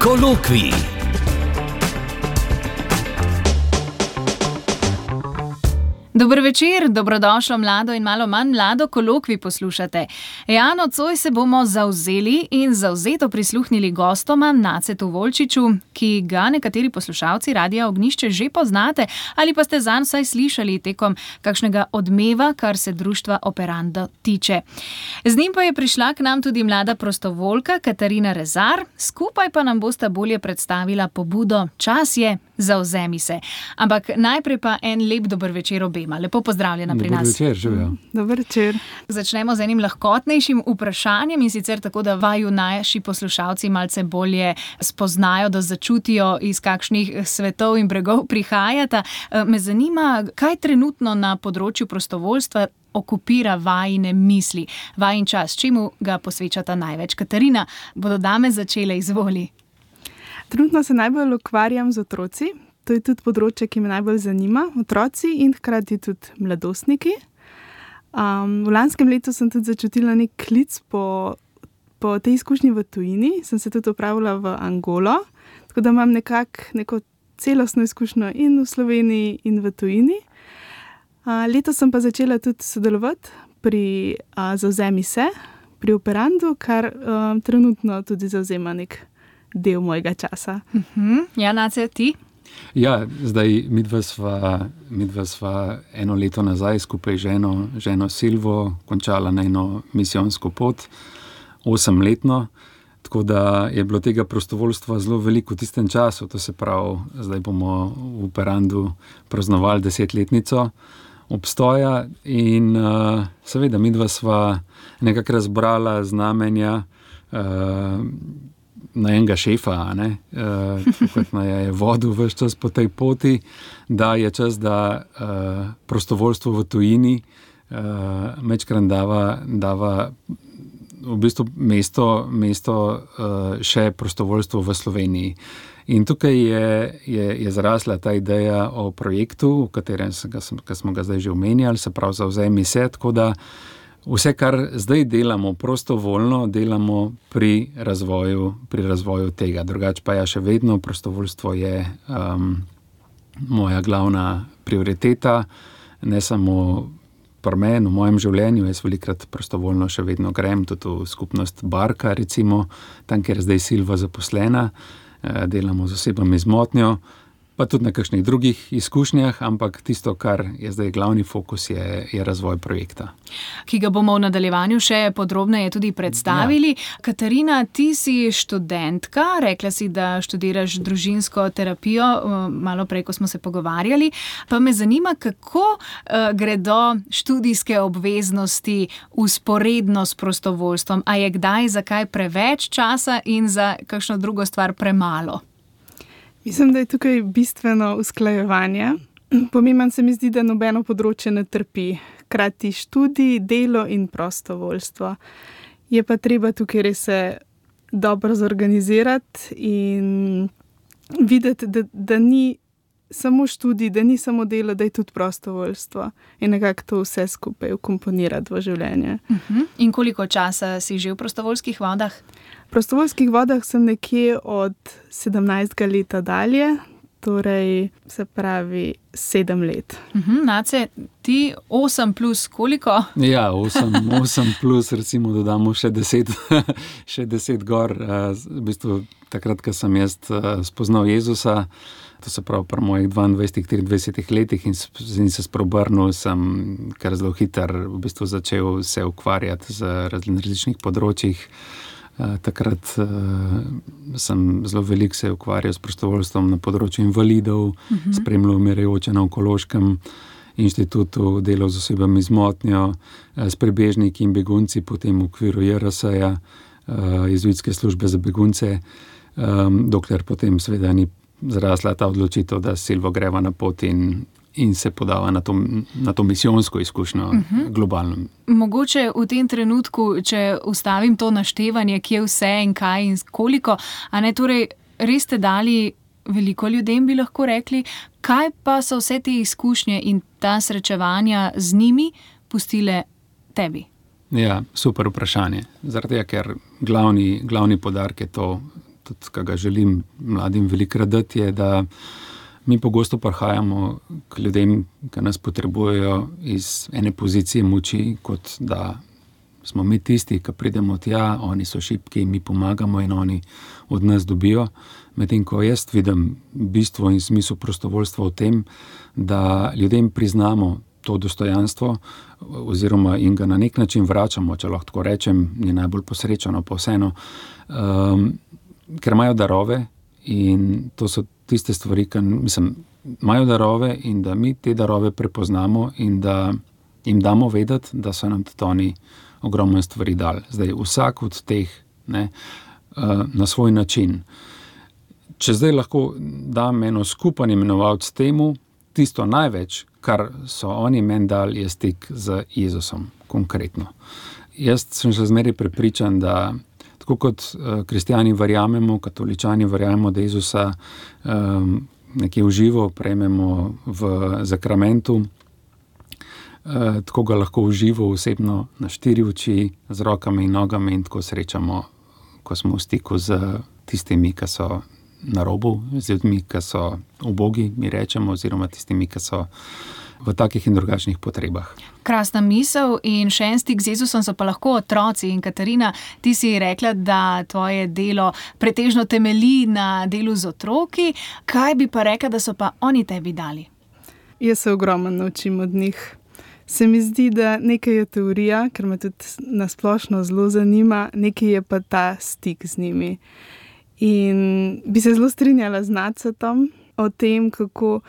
Kolokvij. Dober večer, dobrodošlo mlado in malo manj mlado kolokvij poslušate. Nocoj se bomo zavzeli in zavzeto prisluhnili gostoma Nacetu Volčiču, ki ga nekateri poslušalci Radia Ognjišče že poznate ali pa ste zanj vsaj slišali tekom kakšnega odmeva, kar se društva Operando tiče. Z njim pa je prišla k nam tudi mlada prostovoljka Katarina Rezar, skupaj pa nam bosta bolje predstavila pobudo Čas je, zavzemi se. Ampak najprej pa en lep dober večer obema. Lepo pozdravljena pri nas. Dober večer, živijo. Dober večer. Začnemo z enim lahkotnejšim vprašanjem in sicer tako, da vaju naši poslušalci malce bolje spoznajo, da začutijo, iz kakšnih svetov in bregov prihajata. Me zanima, kaj trenutno na področju prostovoljstva okupira vajine misli, vajin čas, čemu ga posvečata največ? Katarina, bodo dame začele, izvoli. Trenutno se najbolj ukvarjam z otroci. To je tudi področje, ki me najbolj zanima. Otroci in hkrati tudi mladostniki. V lanskem letu sem tudi začutila nek klic po tej izkušnji v tujini. Sem se tudi opravila v Angolo, tako da imam neko celostno izkušnjo in v Sloveniji in v tujini. Letos sem pa začela tudi sodelovati pri Zavzemi se, pri Operandu, kar trenutno tudi zavzema nek del mojega časa. Ja, Nace, ti? Ja, zdaj midva sva eno leto nazaj skupaj ženo Silvo končala na eno misijonsko pot, 8-letno, tako da je bilo tega prostovoljstva zelo veliko v tistem času. To se pravi, zdaj bomo v Operandu praznovali 10-letnico obstoja in seveda midva sva nekako razbrala znamenja na enega šefa, kot me je vodil ves čas po tej poti, da je čas, da prostovoljstvo v tujini majčkrat dava v bistvu mesto še prostovoljstvo v Sloveniji. In tukaj je zrasla ta ideja o projektu, v katerem smo ga zdaj že omenjali, se pravi Zavzemi se, tako da vse, kar zdaj delamo prostovoljno, delamo pri razvoju tega. Drugače pa še vedno prostovoljstvo je moja glavna prioriteta, ne samo pri meni, v mojem življenju. Jaz velikrat prostovoljno še vedno grem, tudi v skupnost Barka, recimo, tam, kjer je zdaj Silva zaposlena, delamo z osebami z motnjo, pa tudi na kakšnih drugih izkušnjah, ampak tisto, kar je zdaj glavni fokus, je razvoj projekta. Ki ga bomo v nadaljevanju še podrobneje tudi predstavili. Ja. Katarina, ti si študentka, rekla si, da študiraš družinsko terapijo, malo prej, ko smo se pogovarjali, pa me zanima, kako gredo študijske obveznosti vzporedno s prostovoljstvom. A je kdaj za kaj preveč časa in za kakšno drugo stvar premalo? Mislim, da je tukaj bistveno usklajevanje. Pomembno se mi zdi, da nobeno področje ne trpi. Hkrati študij, delo in prostovoljstvo. Je pa treba tukaj res se dobro zorganizirati in videti, da ni samo študij, da ni samo delo, da je tudi prostovoljstvo. In nekako to vse skupaj vkomponirati v življenje. In koliko časa si že v prostovoljskih vodah? V prostovoljskih vodah sem nekje od 17. leta dalje, torej se pravi 7 let. Nace, ti 8 plus koliko? Ja, 8 plus, recimo dodamo še 10 gor. V bistvu takrat, ko sem jaz spoznal Jezusa, to se pravi pri mojih 22-23 letih in se spreobrnil, sem kar zelo hitro v bistvu začel se ukvarjati z različnih področjih. Takrat sem zelo veliko se ukvarjal s prostovoljstvom na področju invalidov, spremljal umirajoče na Onkološkem inštitutu, delal z osebami z motnjo, s prebežniki in begunci, potem v okviru JRS-ja, Jezuitske službe za begunce, dokler potem seveda ni zrasla ta odločitev, da Silvo greva na pot in se podava na to misijonsko izkušnjo globalno. Mogoče v tem trenutku, če ustavim to naštevanje, kje vse in kaj in koliko, a ne, torej res ste dali veliko ljudem, bi lahko rekli, kaj pa so vse te izkušnje in ta srečevanja z njimi pustile tebi? Ja, super vprašanje. Zaradi tega, ker glavni poudarek je tudi kaj ga želim mladim velikokrat dati, je, da mi pogosto prihajamo k ljudem, ki nas potrebujejo iz ene pozicije moči, kot da smo mi tisti, ki pridemo tja, oni so šibki, mi pomagamo in oni od nas dobijo. Medtem ko jaz vidim bistvo in smisel prostovoljstva v tem, da ljudem priznamo to dostojanstvo oziroma in ga na nek način vračamo, če lahko tako rečem, ni najbolj posrečeno, pa vseeno, ker imajo darove in to so tiste stvari, ki imajo darove in da mi te darove prepoznamo in da jim damo vedeti, da so nam tudi oni ogromno stvari dali. Zdaj, vsak od teh na svoj način. Če zdaj lahko dam eno skupen imenovalec temu, tisto največ, kar so oni meni dali, je stik z Jezusom, konkretno. Jaz sem še zmeraj prepričan, da tako kot kristjani verjamemo, katoličani verjamemo, da Jezusa nekje v živo prejmemo v zakramentu, tako ga lahko v živo osebno na 4 oči, z rokami in nogami in tako srečamo, ko smo v stiku z tistimi, ki so na robu, z ljudmi, ki so ubogi, mi rečemo, oziroma tistimi, ki so v takih in drugačnih potrebah. Krasna misel in še en stik z Jezusom so pa lahko otroci. In Katarina, ti si rekla, da tvoje delo pretežno temelji na delu z otroki. Kaj bi pa rekla, da so pa oni tebi dali? Jaz se ogromno naučim od njih. Se mi zdi, da nekaj je teorija, ker me tudi nasplošno zelo zanima, nekaj je pa ta stik z njimi. In bi se zelo strinjala z Nacetom o tem, kako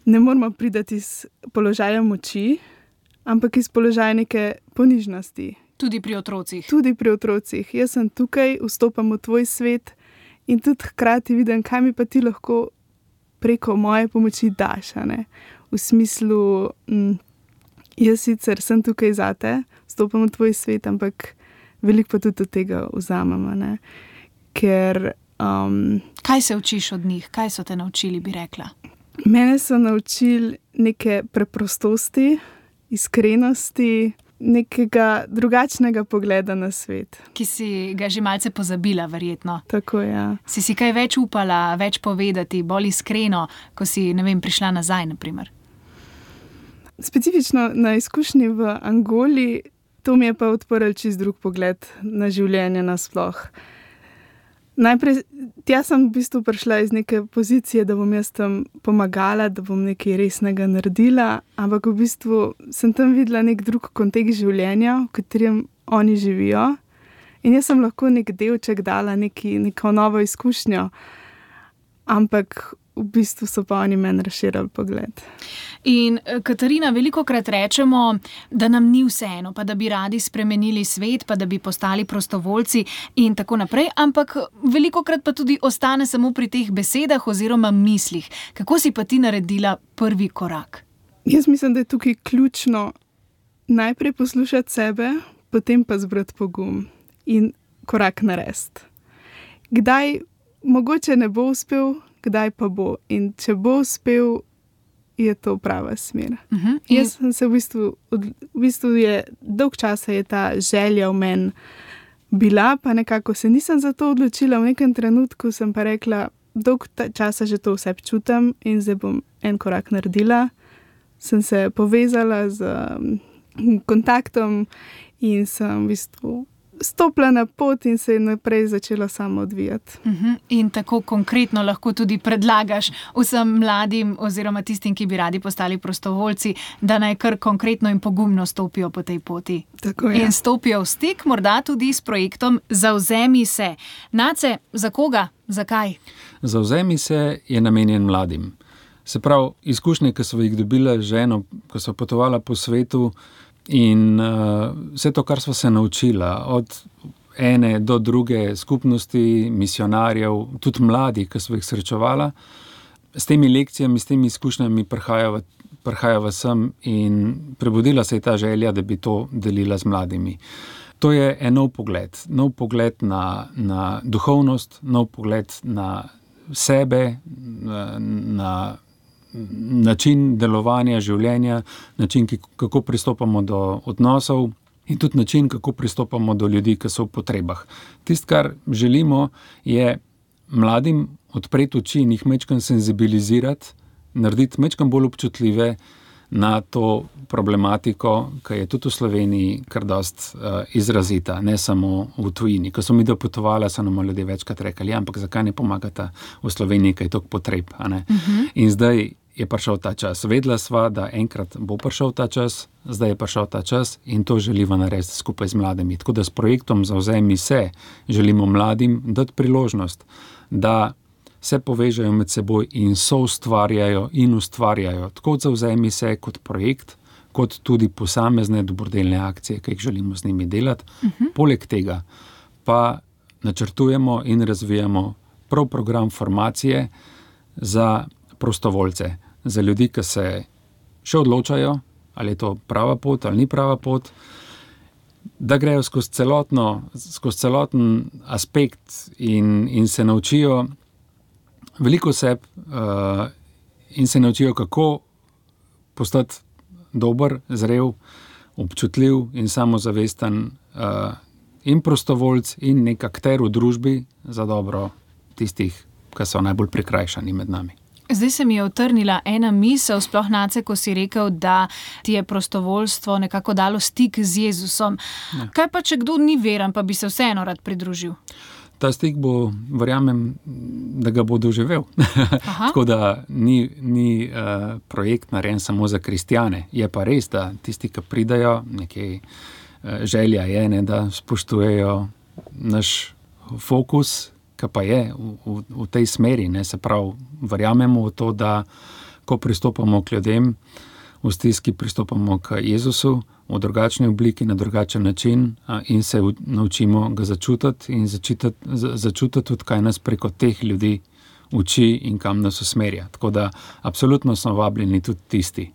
ne moramo priti iz položaja moči, ampak iz položaja neke ponižnosti. Tudi pri otrocih. Tudi pri otrocih. Jaz sem tukaj, vstopam v tvoj svet in tudi hkrati vidim, kaj mi pa ti lahko preko moje pomoči daš. V smislu, jaz sicer sem tukaj zate, vstopam v tvoj svet, ampak veliko pa tudi od tega vzamem. Ker, kaj se učiš od njih? Kaj so te naučili, bi rekla? Mene so naučili neke preprostosti, iskrenosti, nekega drugačnega pogleda na svet. Ki si ga že malce pozabila, verjetno. Tako, ja. Si kaj več upala, več povedati, bolj iskreno, ko si, prišla nazaj, na primer? Specifično na izkušnji v Angoli, to mi je pa odprl čist drug pogled na življenje nasploh. Najprej, tja sem v bistvu prišla iz neke pozicije, da bom jaz tam pomagala, da bom nekaj resnega naredila, ampak v bistvu sem tam videla nek drug kontekst življenja, v katerem oni živijo. In jaz sem lahko nek delček dala, neko novo izkušnjo, ampak v bistvu so pa oni meni razširili pogled. In Katarina, velikokrat rečemo, da nam ni vseeno, pa da bi radi spremenili svet, pa da bi postali prostovoljci in tako naprej, ampak velikokrat pa tudi ostane samo pri teh besedah oziroma mislih. Kako si pa ti naredila prvi korak? Jaz mislim, da je tukaj ključno najprej poslušati sebe, potem pa zbrati pogum in korak narediti. Kdaj mogoče ne bo uspel, kdaj pa bo. In če bo uspel, je to prava smer. Jaz sem se v bistvu je dolg časa je ta želja v meni bila, pa nekako se nisem za to odločila. V nekem trenutku sem pa rekla, dolg časa že to vse čutim in zdaj bom en korak naredila. Sem se povezala z kontaktom in sem v bistvu stopila na pot in se je naprej začela samo odvijati. In tako konkretno lahko tudi predlagaš vsem mladim oziroma tistim, ki bi radi postali prostovoljci, da naj kar konkretno in pogumno stopijo po tej poti. Tako je. In stopijo v stik morda tudi s projektom Zavzemi se. Nace, za koga? Zakaj? Zavzemi se je namenjen mladim. Se pravi, izkušnje, ki so jih dobila z ženo, ko so potovala po svetu, in vse to, kar sva se naučila, od ene do druge skupnosti, misionarjev, tudi mladi, ki sva jih srečevala, s temi lekcijami, s temi izkušnjami prihajava sem in prebudila se je ta želja, da bi to delila z mladimi. To je en nov pogled na duhovnost, nov pogled na sebe, na način delovanja življenja, način, kako pristopamo do odnosov in tudi način, kako pristopamo do ljudi, ki so v potrebah. Tisto, kar želimo, je mladim odpreti oči in jih majčkeno senzibilizirati, narediti majčkeno bolj občutljive na to problematiko, ki je tudi v Sloveniji kar dost izrazita, ne samo v tujini. Ko smo mi dopotovali, so nam ljudje večkrat rekli, ampak zakaj ne pomagata v Sloveniji, kaj je toliko potreb, a ne? In zdaj je prišel ta čas. Vedela sva, da enkrat bo prišel ta čas, zdaj je prišel ta čas in to želiva narediti skupaj z mladimi. Tako da s projektom Zavzemi se želimo mladim dati priložnost, da se povežejo med seboj in soustvarjajo in ustvarjajo. Tako od Zavzemi se kot projekt, kot tudi posamezne dobrodelne akcije, ki jih želimo z njimi delati. Poleg tega pa načrtujemo in razvijamo prav program formacije za prostovoljce, za ljudi, ki se še odločajo, ali je to prava pot ali ni prava pot, da grejo skozi celoten aspekt in se naučijo veliko seb in se naučijo, kako postati dober, zrel, občutljiv in samozavesten in prostovoljc in nek akter v družbi za dobro tistih, ki so najbolj prikrajšani med nami. Zdaj se mi je utrnila ena misel, sploh Nace, ko si rekel, da ti je prostovoljstvo nekako dalo stik z Jezusom. Ja. Kaj pa, če kdo ni veren, pa bi se vseeno rad pridružil? Ta stik bo, verjamem, da ga bo doživel. Tako da ni projekt narejen samo za kristjane. Je pa res, da tisti, ki pridajo, nekaj želja je, ne, da spoštujejo naš fokus, ki pa je v tej smeri. Ne, se pravi, verjamemo v to, da ko pristopamo k ljudem, v stiski pristopamo k Jezusu v drugačni obliki, na drugačen način in se naučimo ga začutiti in začutiti tudi, kaj nas preko teh ljudi uči in kam nas usmerja. Tako da absolutno smo vabljeni tudi tisti.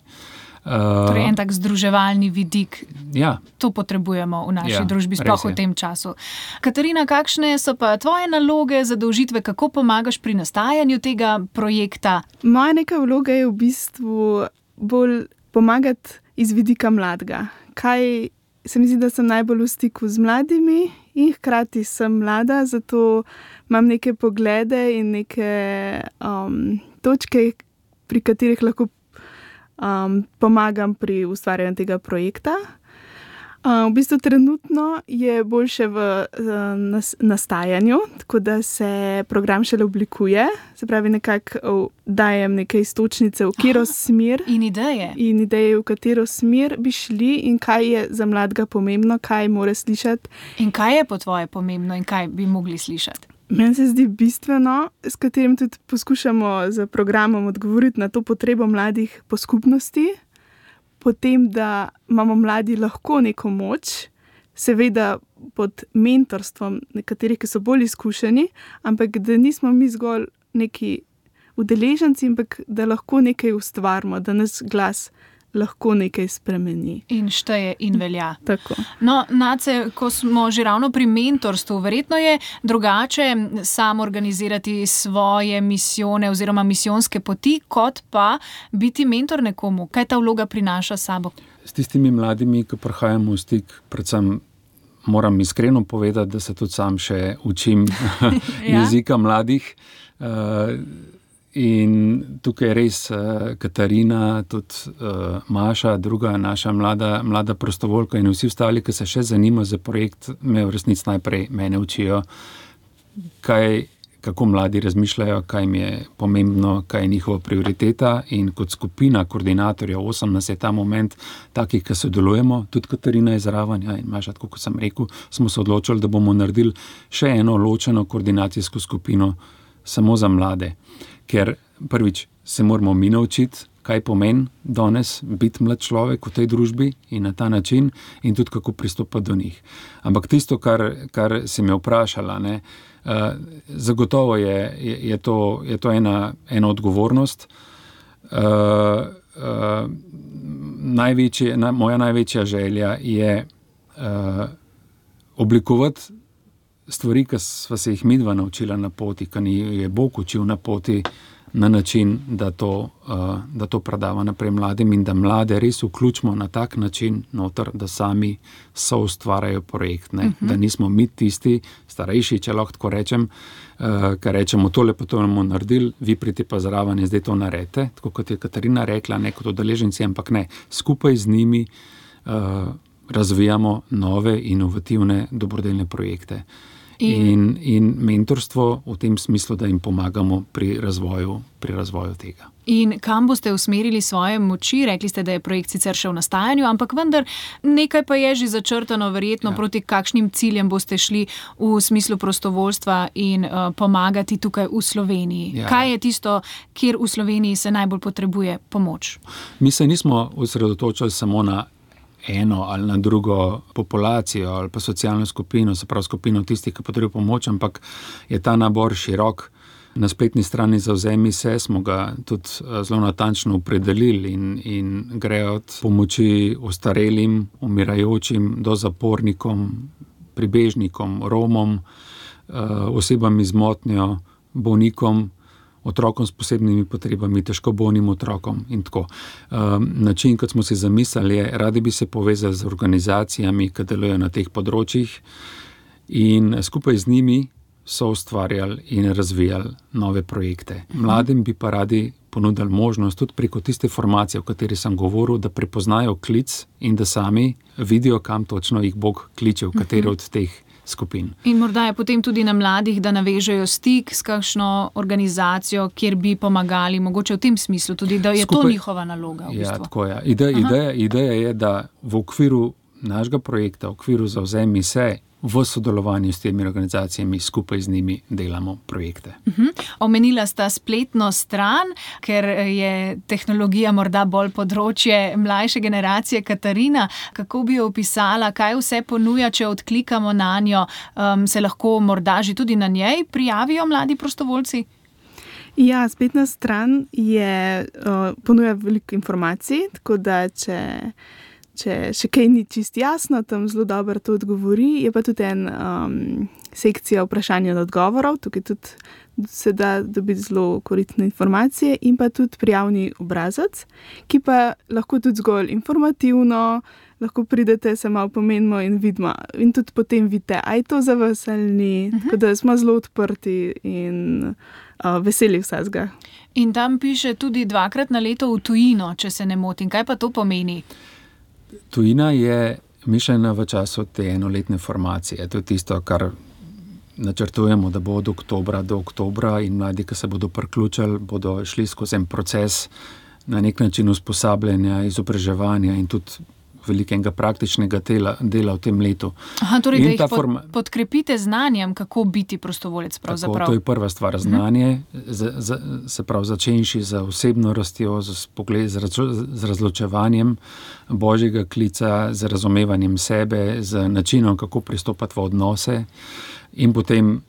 Torej en tak združevalni vidik. Ja. To potrebujemo v naši družbi, sploh v tem času. Katarina, kakšne so pa tvoje naloge, zadolžitve, kako pomagaš pri nastajanju tega projekta? Moja neka vloga je v bistvu bolj pomagati iz vidika mladega. Kaj se mi zdi, da sem najbolj v stiku z mladimi in hkrati sem mlada, zato imam neke poglede in neke točke, pri katerih lahko pomagam pri ustvarjanju tega projekta. V bistvu trenutno je boljše v nastajanju, tako da se program šele oblikuje, se pravi nekako dajem neke iztočnice, v katero smer. In ideje. In ideje, v katero smer bi šli in kaj je za mladega pomembno, kaj mora slišati. In kaj je po tvoje pomembno in kaj bi mogli slišati? Meni se zdi bistveno, s katerim tudi poskušamo z programom odgovoriti na to potrebo mladih po skupnosti, potem, da imamo mladi lahko neko moč, seveda pod mentorstvom nekaterih, ki so bolj izkušeni, ampak da nismo mi zgolj neki udeleženci, ampak da lahko nekaj ustvarimo, da nas glas lahko nekaj spremeni. In šteje in velja. Tako. No, Nace, ko smo že ravno pri mentorstvu, verjetno je drugače sam organizirati svoje misijone oziroma misijonske poti, kot pa biti mentor nekomu. Kaj ta vloga prinaša s sabo? S tistimi mladimi, ki prihajamo v stik, predvsem moram iskreno povedati, da se tudi sam še učim jezika mladih. In tukaj je res Katarina, tudi Maša, druga naša mlada prostovoljka in vsi ostali, ki se še zanimajo za projekt, me v resnici najprej mene učijo, kako mladi razmišljajo, kaj jim je pomembno, kaj je njihova prioriteta in kot skupina koordinatorjev, 8 nas je ta moment takih, ki sodelujemo, tudi Katarina je zraven, in Maša, tako kot sem rekel, smo se odločili, da bomo naredili še eno ločeno koordinacijsko skupino samo za mlade. Ker prvič se moramo mi naučiti, kaj pomeni danes biti mlad človek v tej družbi in na ta način in tudi kako pristopati do njih. Ampak tisto, kar si me vprašala, ne, zagotovo je to ena odgovornost. Moja največja želja je oblikovati stvari, ki sva se jih midva naučila na poti, ki ni je Bog učil na poti na način, da to predava naprej mladim in da mlade res vključimo na tak način noter, da sami soustvarjajo projekt. Ne? Da nismo mi tisti, starejši, če lahko tako rečem, ker rečemo, tole pa to bomo naredili, vi pridite pa zraven in zdaj to naredite, tako kot je Katarina rekla, ne kot udeleženci, ampak ne, skupaj z njimi razvijamo nove, inovativne, dobrodelne projekte. In mentorstvo v tem smislu, da jim pomagamo pri razvoju tega. In kam boste usmerili svoje moči? Rekli ste, da je projekt sicer še v nastajanju, ampak vendar nekaj pa je že začrtano, verjetno proti kakšnim ciljem boste šli v smislu prostovoljstva in pomagati tukaj v Sloveniji. Ja. Kaj je tisto, kjer v Sloveniji se najbolj potrebuje pomoč? Mi se nismo osredotočili samo na eno ali na drugo populacijo ali pa socialno skupino, se pravi skupino tistih, ki potrebujejo pomoč, ampak je ta nabor širok. Na spletni strani Zavzemi se smo ga tudi zelo natančno opredelili in gre od pomoči ostarelim, umirajočim do zapornikom, pribežnikom, Romom, osebam z motnjo, bolnikom, otrokom s posebnimi potrebami, težko bolnim otrokom in tako. Način, kot smo si zamislili, je, radi bi se povezali z organizacijami, ki delujejo na teh področjih in skupaj z njimi so ustvarjali in razvijali nove projekte. Mladim bi pa radi ponudili možnost tudi preko tiste formacije, o kateri sem govoril, da prepoznajo klic in da sami vidijo, kam točno jih Bog kliče, v katero od teh skupin. In morda je potem tudi na mladih, da navežejo stik s kakšno organizacijo, kjer bi pomagali, mogoče v tem smislu tudi, da je to njihova naloga. V bistvu. Ja, tako je. Ideja je, da v okviru našega projekta, v okviru Zavzemi se, v sodelovanju s temi organizacijami skupaj z njimi delamo projekte. Omenila sta spletno stran, ker je tehnologija morda bolj področje mlajše generacije. Katarina, kako bi jo opisala, kaj vse ponuja, če odklikamo na njo, se lahko morda že tudi na njej prijavijo mladi prostovoljci? Ja, spletna stran ponuja veliko informacij, tako da če še kaj ni čisto jasno, tam zelo dobro to odgovori. Je pa tudi sekcija vprašanj in odgovorov, tukaj tudi se da dobiti zelo koristne informacije in pa tudi prijavni obrazec, ki pa lahko tudi zgolj informativno, lahko pridete, se malo pomenimo in vidimo. In tudi potem vidite, a je to za vas ali ni. Tako da smo zelo odprti in veseli vsega. In tam piše tudi 2-krat na leto v tujino, če se ne motim. Kaj pa to pomeni? Tujina je mišljena v času te enoletne formacije. To je tisto, kar načrtujemo, da bo od oktobra do oktobra in mladi, ki se bodo priključili, bodo šli skozi en proces na nek način usposabljanja, izobraževanja in tudi velikega praktičnega dela v tem letu. Torej, da jih podkrepite znanjem, kako biti prostovoljec pravzaprav. Tako, to je prva stvar, znanje, se pravi začenši z osebno rastjo, z razločevanjem Božjega klica, z razumevanjem sebe, z načinom, kako pristopati v odnose in potem,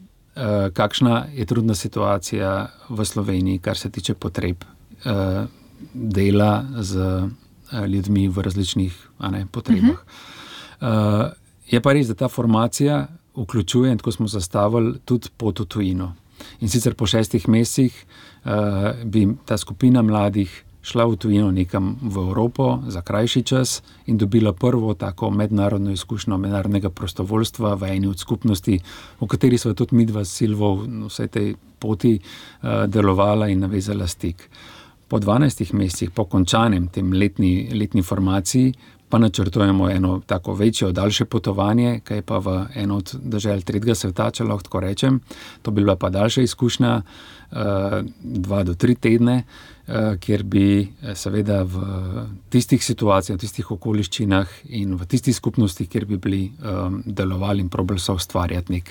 kakšna je trudna situacija v Sloveniji, kar se tiče potreb dela z ljudmi v različnih potrebah. Je pa res, da ta formacija vključuje, in tako smo zastavili, tudi pot v tujino. In sicer po 6 mesecih bi ta skupina mladih šla v tujino nekam v Evropo za krajši čas in dobila prvo tako mednarodno izkušnjo mednarodnega prostovoljstva v eni od skupnosti, v kateri so tudi midva s Silvo v vsej tej poti delovala in navezala stik. Po 12 mesecih, po končanem tem letni formaciji, pa načrtujemo eno tako večje, daljše potovanje, kaj pa v eno od dežel tretjega sveta, če lahko tako rečem. To bi bila pa daljša izkušnja, 2 do 3 tedne, kjer bi seveda v tistih situacijah, v tistih okoliščinah in v tistih skupnostih, kjer bi bili delovali in probali so ustvarjati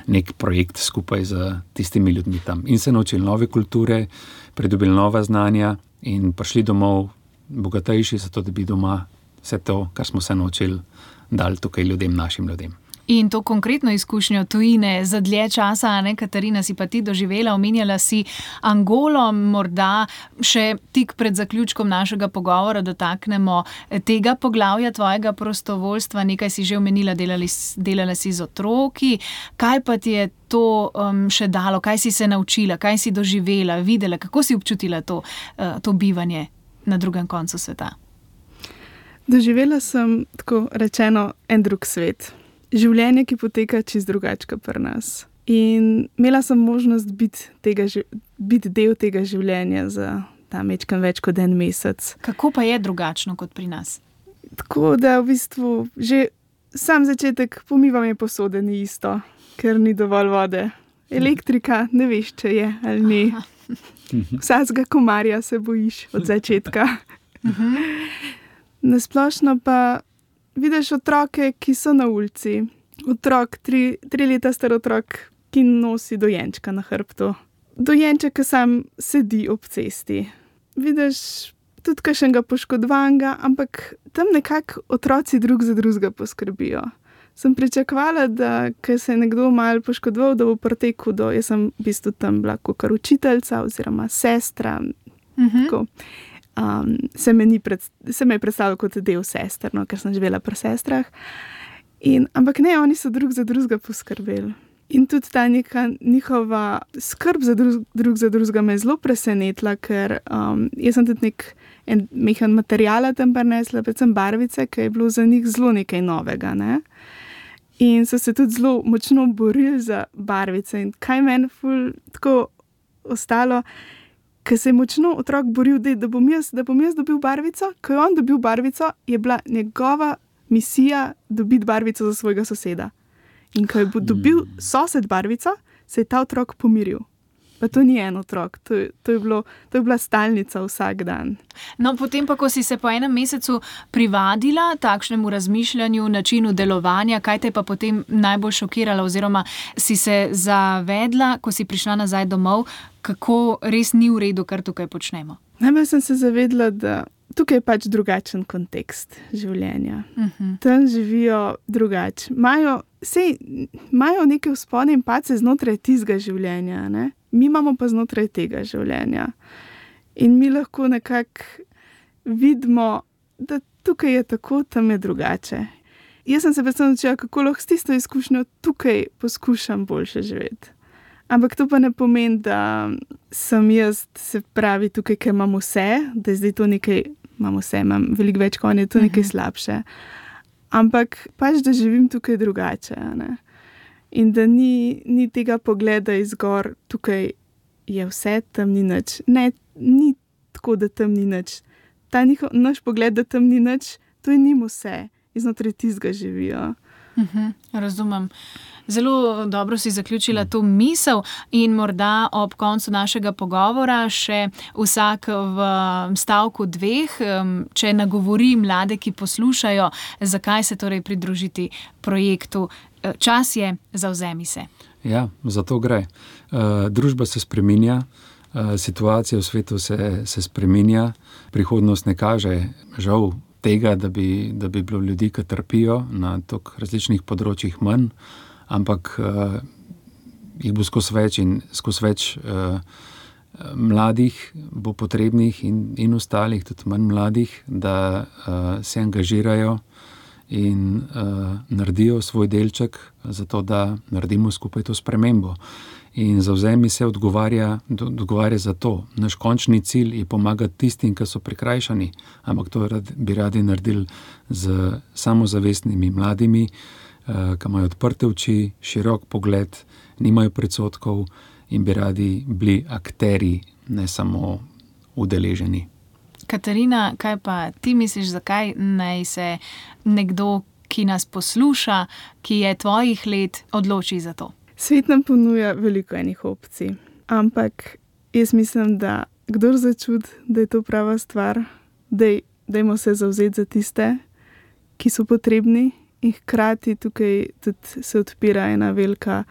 nek projekt skupaj z tistimi ljudmi tam. In se naučili nove kulture, pridobili nova znanja in prišli domov bogatejši, zato da bi doma vse to, kar smo se naučili, dali tukaj ljudem, našim ljudem. In to konkretno izkušnjo tujine za dlje časa, ne, Katarina, si pa ti doživela, omenjala si Angolo, morda še tik pred zaključkom našega pogovora dotaknemo tega poglavja tvojega prostovoljstva, nekaj si že omenila, delala si z otroki. Kaj pa ti je to še dalo, kaj si se naučila, kaj si doživela, videla, kako si občutila to bivanje na drugem koncu sveta? Doživela sem, tako rečeno, en drug svet. Življenje, ki poteka čisto drugače kot pri nas. In imela sem možnost biti del tega življenja za ta majčkeno več kot en mesec. Kako pa je drugačno kot pri nas? Tako da v bistvu že sam začetek pomivanja posode ni isto, ker ni dovolj vode. Elektrika, ne veš, če je ali ni. Vsakega komarja se bojiš od začetka. Na splošno pa vidiš otroke, ki so na ulici. Otrok, 3 leta star otrok, ki nosi dojenčka na hrbtu. Dojenček, ki sam sedi ob cesti. Vidiš tudi kakšnega poškodovanega, ampak tam nekako otroci drug za drugega poskrbijo. Sem pričakovala, da ko se je nekdo malo poškodoval, da bo pretekel do... Jaz sem v bistvu tam bila kakor učiteljica oziroma sestra. Tako. Se me je predstavljalo kot del sester, no, ker sem živela pri sestrah. Ampak ne, oni so drug za drugega poskrbeli. In tudi ta neka njihova skrb za drug za drugega me je zelo presenetila, ker jaz sem tudi en mehen materiala tam prinesla, predvsem barvice, ki je bilo za njih zelo nekaj novega, ne. In so se tudi zelo močno borili za barvice. In kaj meni ful tako ostalo, ker se je močno otrok boril, da bom jaz dobil barvico. Ko je on dobil barvico, je bila njegova misija dobiti barvico za svojega soseda. In ko je dobil sosed barvico, se je ta otrok pomiril. Pa to ni en otrok, to je bila stalnica vsak dan. No, potem pa, ko si se po enem mesecu privadila takšnemu razmišljanju, načinu delovanja, kaj te pa potem najbolj šokiralo oziroma si se zavedla, ko si prišla nazaj domov, kako res ni v redu, kar tukaj počnemo? Najbolj sem se zavedla, da tukaj je pač drugačen kontekst življenja. Tam živijo drugače. Imajo neke vzpone in padce znotraj tistega življenja, ne? Mi imamo pa znotraj tega življenja. In mi lahko nekako vidimo, da tukaj je tako, tam je drugače. Jaz sem se predvsem naučila, kako lahko s tisto izkušnjo tukaj poskušam boljše živeti. Ampak to pa ne pomeni, da sem jaz, se pravi, tukaj, ker imam vse, da je zdaj to nekaj, imam veliko več, kot je to nekaj slabše. Ampak pač, da živim tukaj drugače, ne? In da ni tega pogleda izgor, tukaj je vse, tam ni nič. Ne, ni tako, da tam ni nič. Naš pogled, da tam ni nič, to je njim vse. Iznotraj tistega živijo. Razumem. Zelo dobro si zaključila to misel in morda ob koncu našega pogovora še vsak v stavku 2, če nagovori mlade, ki poslušajo, zakaj se torej pridružiti projektu. Čas je, zavzemi se. Ja, za to gre. Družba se spreminja, situacija v svetu se spreminja, prihodnost ne kaže, žal, tega, da bi bilo ljudi, ki trpijo na toliko različnih področjih manj, ampak jih bo skozi več mladih bo potrebnih in ostalih, tudi manj mladih, da se angažirajo in naredijo svoj delček za to, da naredimo skupaj to spremembo. In zavzemi se odgovarja za to. Naš končni cilj je pomagati tistim, ki so prikrajšani, ampak to bi radi naredili z samozavestnimi mladimi, ki imajo odprte oči, širok pogled, nimajo predsodkov in bi radi bili akterji, ne samo udeleženi. Katarina, kaj pa ti misliš, zakaj naj se nekdo, ki nas posluša, ki je tvojih let, odloči za to? Svet nam ponuja veliko enih opcij, ampak jaz mislim, da kdor začuti, da je to prava stvar, dajmo se zavzeti za tiste, ki so potrebni in hkrati tukaj tudi se odpira ena velika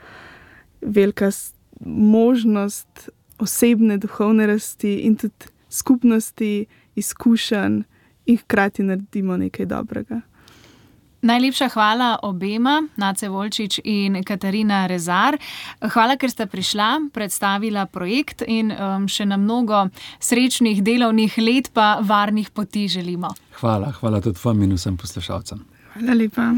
možnost osebne, duhovne rasti in tudi skupnosti, izkušenj in hkrati naredimo nekaj dobrega. Najlepša hvala obema, Nace Volčič in Katarina Rezar. Hvala, ker ste prišla, predstavila projekt in še na mnogo srečnih delovnih let pa varnih poti želimo. Hvala tudi vam in vsem poslušalcem. Hvala lepa.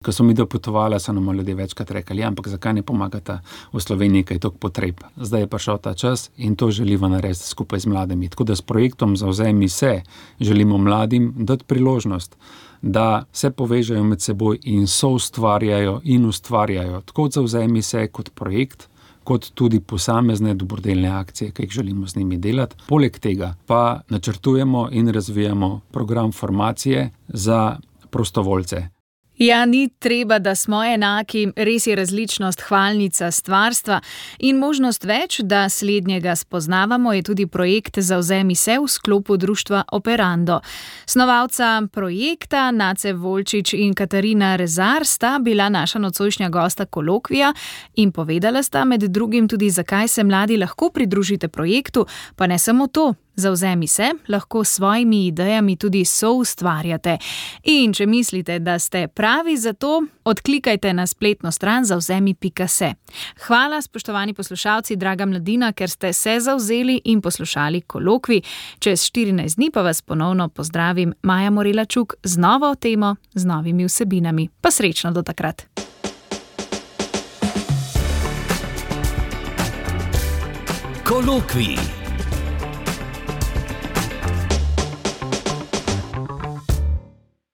ko so mi dopotovali, so nam ljudje večkrat rekli, ja, ampak zakaj ne pomagate v Sloveniji, kaj je toliko potreb. Zdaj je prišel ta čas in to želiva narediti skupaj z mladimi. Tako da s projektom Zavzemi se želimo mladim dati priložnost, da se povežejo med seboj in soustvarjajo in ustvarjajo tako Zavzemi se kot projekt, kot tudi posamezne dobrodelne akcije, ki jih želimo z njimi delati. Poleg tega pa načrtujemo in razvijamo program formacije za prostovoljce. Ja, ni treba, da smo enaki, res je različnost hvalnica stvarstva in možnost več, da slednjega spoznavamo, je tudi projekt Zavzemi se v sklopu društva Operando. Snovalca projekta Nace Volčič in Katarina Rezar sta bila naša nocojšnja gosta kolokvija in povedala sta med drugim tudi, zakaj se mladi lahko pridružite projektu, pa ne samo to. Zavzemi se, lahko s svojimi idejami tudi soustvarjate. In če mislite, da ste pravi za to, odklikajte na spletno stran zavzemi.se. Hvala, spoštovani poslušalci, draga mladina, ker ste se zavzeli in poslušali kolokvij. Čez 14 dni pa vas ponovno pozdravim, Maja Morela-Čuk, z novo temo, z novimi vsebinami. Pa srečno do takrat. Kolokvij.